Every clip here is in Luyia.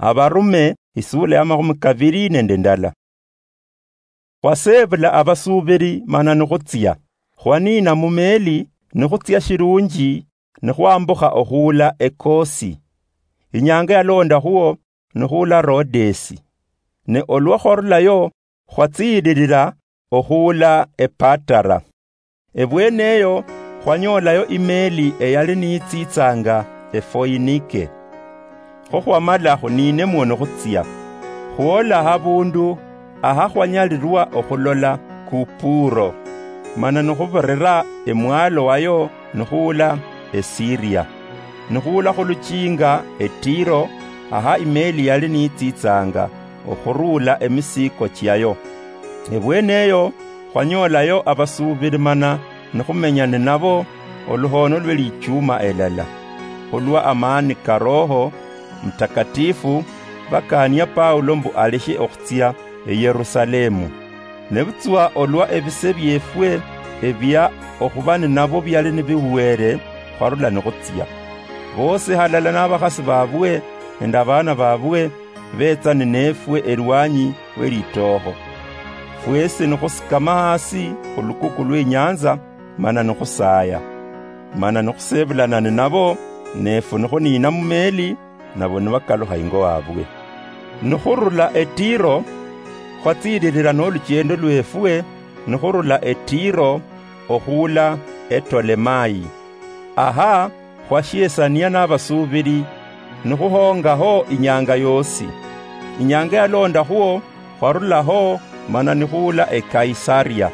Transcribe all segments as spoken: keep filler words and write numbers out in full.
Abarume, isula ya makhumi kabiri nende ndala. Khwaseebula abasuubiri mana nikhutsia. Khwaniina mu meeli nikhutsia shilunji, nikhwambukha okhuula Ekosi. Inyanga yalondakhuo nikhuula Rodesi. Ne olwa khwarulayo, khwatsiililira okhuula Epatara. Ebweene eyo khwanyoolayo imeeli eyali niyitsiitsanga Efoinike. Kho khwamala khuniinemwo nikhutsia. Khwoola habundu aha khwanyalirwa okhulola Kupuro, mana nikhubirira emwaalo wayo nikhuula Esiria. Nikhuula khu luchiinga Etiro, aha imeeli yali niyitsiitsanga okhuruula emisiiko chiayo. Ebweene eyo khwanyoolayo abasuubiri mana nikhumenya ninabo oluhoono lwe lichuuma elala. Khulwa amaani ka Roho Mutakatifu, bakaania Paulo mbu aleshe okhutsia eYerusalemu. Nebutswa olwa ebise byeefwe ebia okhuba ninabo biali nibihuweere, khwarula nikhutsia. Boosi halala nabakhasi baabwe nende abaana baabwe beetsa nineefwe elwanyi we litookho. Fweesi nikhusikama hasi khu lukuku lw'inyanza, mana nikhusaaya. Mana nikhuseebulana ninabo, neefwe nikhuniina mu meeli, nabo nibakalukha ingo waabwe. Nikhurula Etiro, khwatsiililira nolucheendo lweefwe, nikhurula Etiro okhuula Etolemai. Aha khwashiesania nabasuubiri, nikhuhoongaho inyanga yoosi. Inyanga yalondakhuo, khwarulaho mana nikhuula eKaisaria.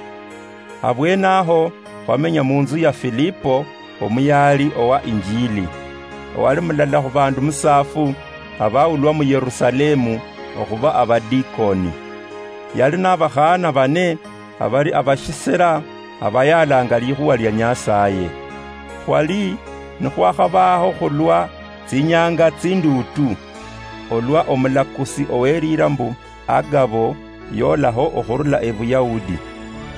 Abweene aho khwamenya munzu ya Filipo, omuyaali owa Injiili, owali mulala khubaandu musaafu abaulwa mu Yerusalemu okhuba abadikoni. Yali nabakhaana bane abali abashisera abayaalanga likhuwa lia Nyasaye. Khwali nikhwakhabaho khulwa tsinyanga tsinduutu, olwa omulakusi owelira mbu Agabo yolaho okhurula Ebuyahudi,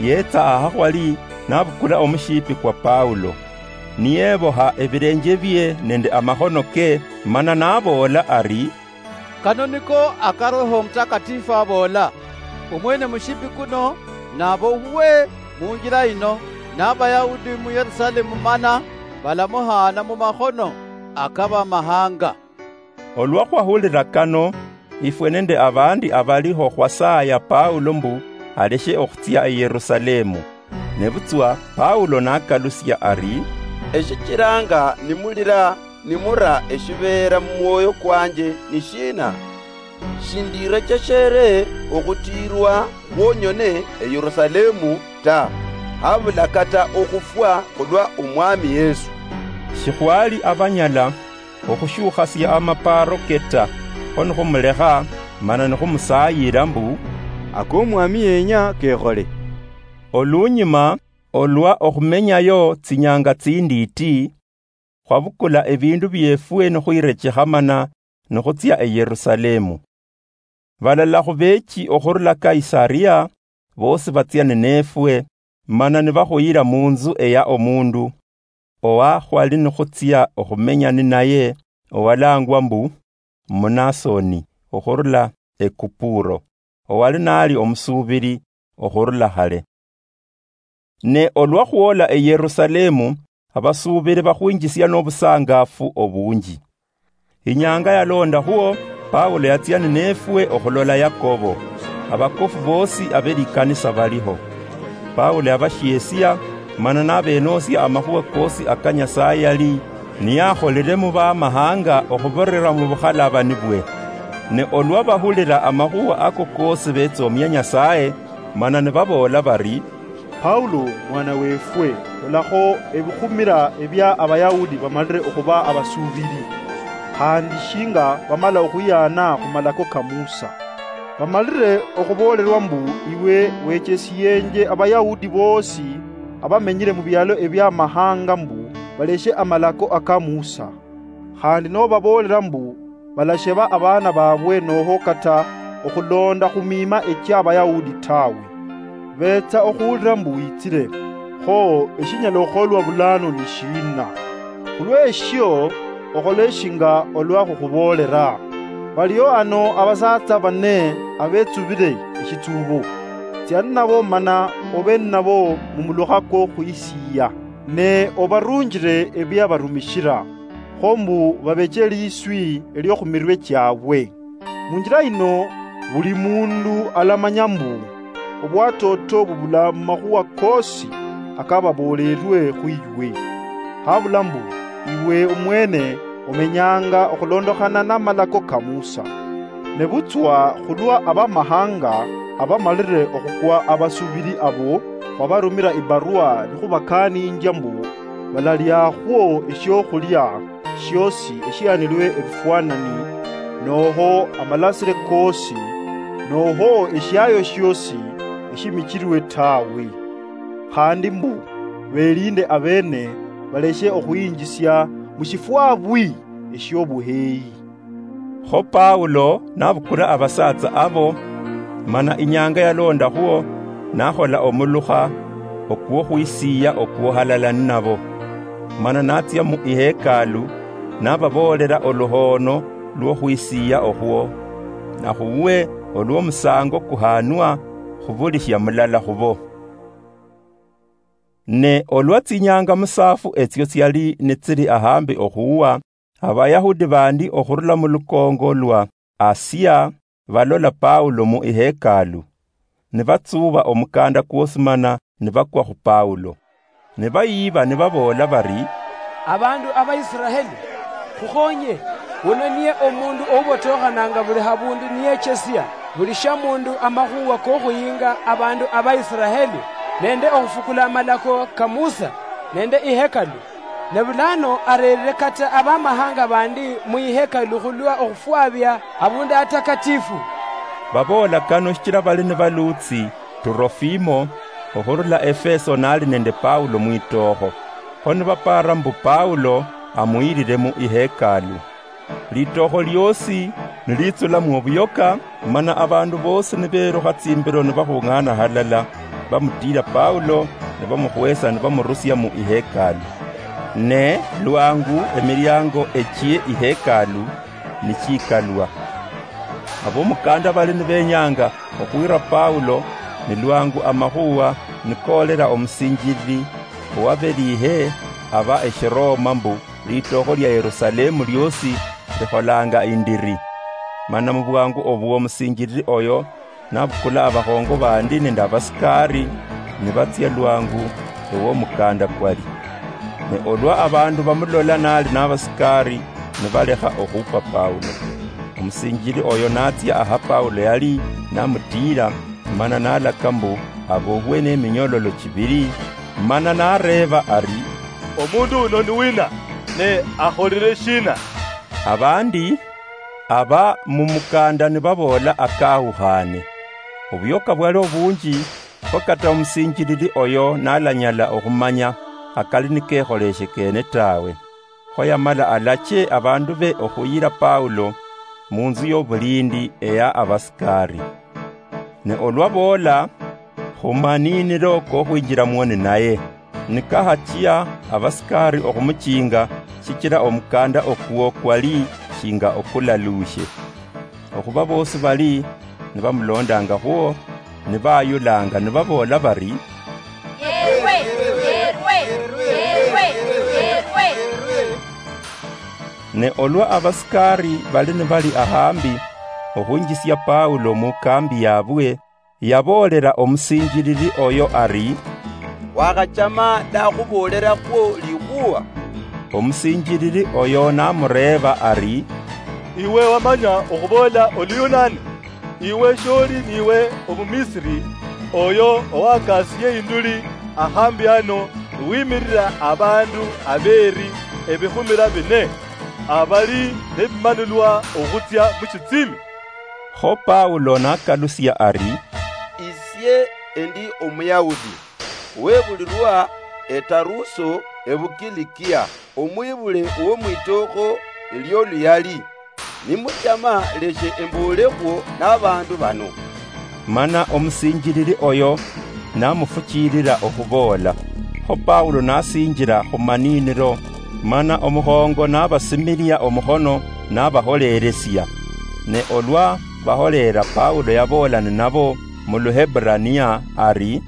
yetsa aha khwali nabukula omushipi kwa Paulo, niyeboha ebilenje bie nende amakhono ke, mana naboola ari, "Kano niko aka Roho Mutakatifu aboola, omwene mushipi kuno nabohwe munjila ino n'Abayahudi mu Yerusalemu mana balamuhaana mu makhono akabamahanga." Olwa khwahulira kano, ifwe nende abandi abaliho khwasaaya Paulo mbu aleshe okhutsia e Yerusalemu. Nebutswa Paulo nakalusia ari, "Eshichilanga nimulira nimura eshibeera mumwoyo kwanje ni shiina? Shindirecheshere okhutiirwa khwonyone e Yerusalemu ta, habula kata okhufwa khulwa Omwami Yesu." Shikhwali abanyala okhushiukhasia amapaaro ke ta, kho nikhumulekha, mana nikhumusaayira mbu, "Ako Omwami yenya kekhole." Olunyuma, olwa okhumenyayo tsinyanga tsindiiti, khwabukula ebiindu byeefwe nikhwirechekha mana nikhutsia e Yerusalemu. Balala khubeechi okhurula Kaisaria boosi batsia nineefwe, mana nibakhuyira munzu eya omundu, owa khwali nikhutsia okhumenya ninaye, owalaangwa mbu Munasoni, okhurula e Kupuro, owali nali omusuubiri okhurula khale. Ne olwa khwola e Yerusalemu, abasuubiri bakhwinjisia nobusangaafu obunji. Inyanga yalondakhwo, Paulo yatsia nineefwe okhulola Yakobo, abakofu boosi abe likanisa baliho. Paulo yabashiesia, mana nabenoosia amakhuwa koosi aka Nyasaye yali niyakholile mu bamahanga okhubirira mu bukhalabani bwe. Ne olwa bahulira amakhuwa ako koosi betsoomia Nyasaye, mana nibaboola bari, "Paulo, mwana weefwe, lolakho ebikhumira ebia Abayahudi bamalire okhuba abasuubiri, khandi shinga bamala okhwiyaana khu malako ka Musa. Bamalire okhuboolerwa mbu iwe wechesiyenje Abayahudi boosi abamenyire mu bialo ebiamahanga mbu baleshe amalako aka Musa. Khandi nobaboolera mbu balasheba abaana baabwe noho kata okhuloonda khu miima echia Abayahudi tawe. Beetsa okhuwulira mbu witsire. Kho eshinyala okholwa bulaanu ni shiina? Khulweshio, okhole shinga olwa khukhuboolera." Baliho ano abasaatsa bane abetsubile eshitsubo. Tsia ninabo mana obe ninabo mumulukha kwokhwisiiya, ne obarunjile ebiabarumishila, kho mbu babeche liswi eliokhumirwe chiabwe. Munjila yino, buli mundu alamanya mbu obwatoto bubula mumakhuwa koosi akababoolelwe khwiiwe. Habula mbu, iwe omwene omenyanga okhulondokhana namalako ka Musa. Nebutswa khulwa abamahanga abamalire okhukwa abasubili abo, khwabarumira ibarwa nikhubakaaninjia mbu balaliakhwo eshiokhulia shiosi eshianilwe ebifwanani, noho amalasire koosi, noho eshiayo shiosi eshimichilwe tawe. Khandi mbu, belinde abene baleshe okhwinjisia mushifwabwi eshiobuheyi. Kho Paulo nabukula abasaatsa abo, mana inyanga yalondakhwo nakhola omulukha okwokhwisiiya okwo halala ninabo. Mana natsia mu ihekalu, nababoolela oluhoono lwokhwisiiya okhwo, nakhuwe olwomusango kuhanwa khubulishia mulala khubo. Ne olwa tsinyanga musaafu etsio tsiali nitsili ahambi okhuwa, Abayahudi bandi okhurula mu lukoongo lwa Asia balola Paulo mu ihekalu, nibatsuuba omukanda kwosi mana nibakwa khu Paulo. Nibayiiba nibaboola bari, "Abandu Abaisiraeli, khukhonye! Wuno niye omundu oubotokhanaanga buli habundu niyechesia buli shamundu amakhuwa kokhuyinga abandu Abaisiraeli, nende okhufukula amalako ka Musa, nende ihekalu." Ne bulano areerire kata abamahanga bandi mu ihekalu khulwa okhufwabia Abundu Atakatifu. Baboola kano shichila bali nibaluutsi Turofimo okhurula Efeso nali nende Paulo mwitookho. Kho nibapaara mbu Paulo amuyirire mu ihekalu. Litookho lyoosi niliitsulamwo obuyoka, mana abaandu boosi nibeelukha tsimbilo nibakhung'aana halala, bamutiila Paulo, nibamukhweesa nibamurusia mu ihekalu. Ne lwangu emiliango echie ihekalu nichiikalwa, abomukanda bali nibenyaanga okhwiira Paulo, ni lwangu amakhuwa nikoolela omusinjilili owabeliihe aba Eshiroma mbu, Litookho lia Yerusalemu lyoosi likholaanga indiri. Mana mu bwaangu obwo omusinjilili oyo nabukula abakhongo baandi nende abasikaari, nibatsia lwaangu ew'omukaanda kwali. Ne olwa abaandu bamulola naali n'abasikaari, nibalekha okhupa Paulo. Omusinjilili oyo natsia aha Paulo yali, namutiila, mana nalaka mbu abohwe n'eminyololo chibili, mana nareeba ari, "Omundu uno ni wina, ne akholile shiina?" Abandi aba mu mukanda nibaboola akawukhane. Obuyoka bwali obunji, kho kata omusinjilili oyo nalanyala okhumanya akali nikekholeshe kene tawe. Kho yamala alache abaandu be okhuyira Paulo mu nzu y'obuliindi eya abasikaari. Ne olwa boola, khumaniiniro kokhwinjiramwo ninaye. Nikahachia abasikaari okhumuchiinga, shichila omukanda okwo kwali shinga okulaluushe. Okhuba boosi bali nibamulondaangakhwo, nibayulaanga nibaboola bari, "Yeerwe! Yeerwe! Yeerwe! Yeerwe!" Ne olwa abasikaari bali nibali ahambi okhwinjisia Paulo mu kaambi yaabwe, yaboolela omusinjilili oyo ari, "Wakhachama ndakhuboolerakho likhuwa?" Omusinjilili oyo namureeba ari, "Iwe wamanya okhuboola Oluyunani? Iwe sholi niiwe Omumisiri oyo owakaasiye induli ahambi ano niwimirira abaandu abeeri ebikhumira bine abali nebimanulwa okhutsia mu shitsimi?" Kho Paulo nakalusia ari, "Isie endi Omuyahudi, webulirwa eTaruso ebuKilikia, omwibule womwitookho elioluyali. Nimuchama, leshe emboolekhwo nabaandu bano." Mana omusinjilili oyo namufuchiilila okhuboola. Kho Paulo nasinjila khumaniinilo, mana omukhongo nabasimilia omukhono, nabaholeelesia. Ne olwa baholeera, Paulo yaboola ninabo mu Luheburania ari,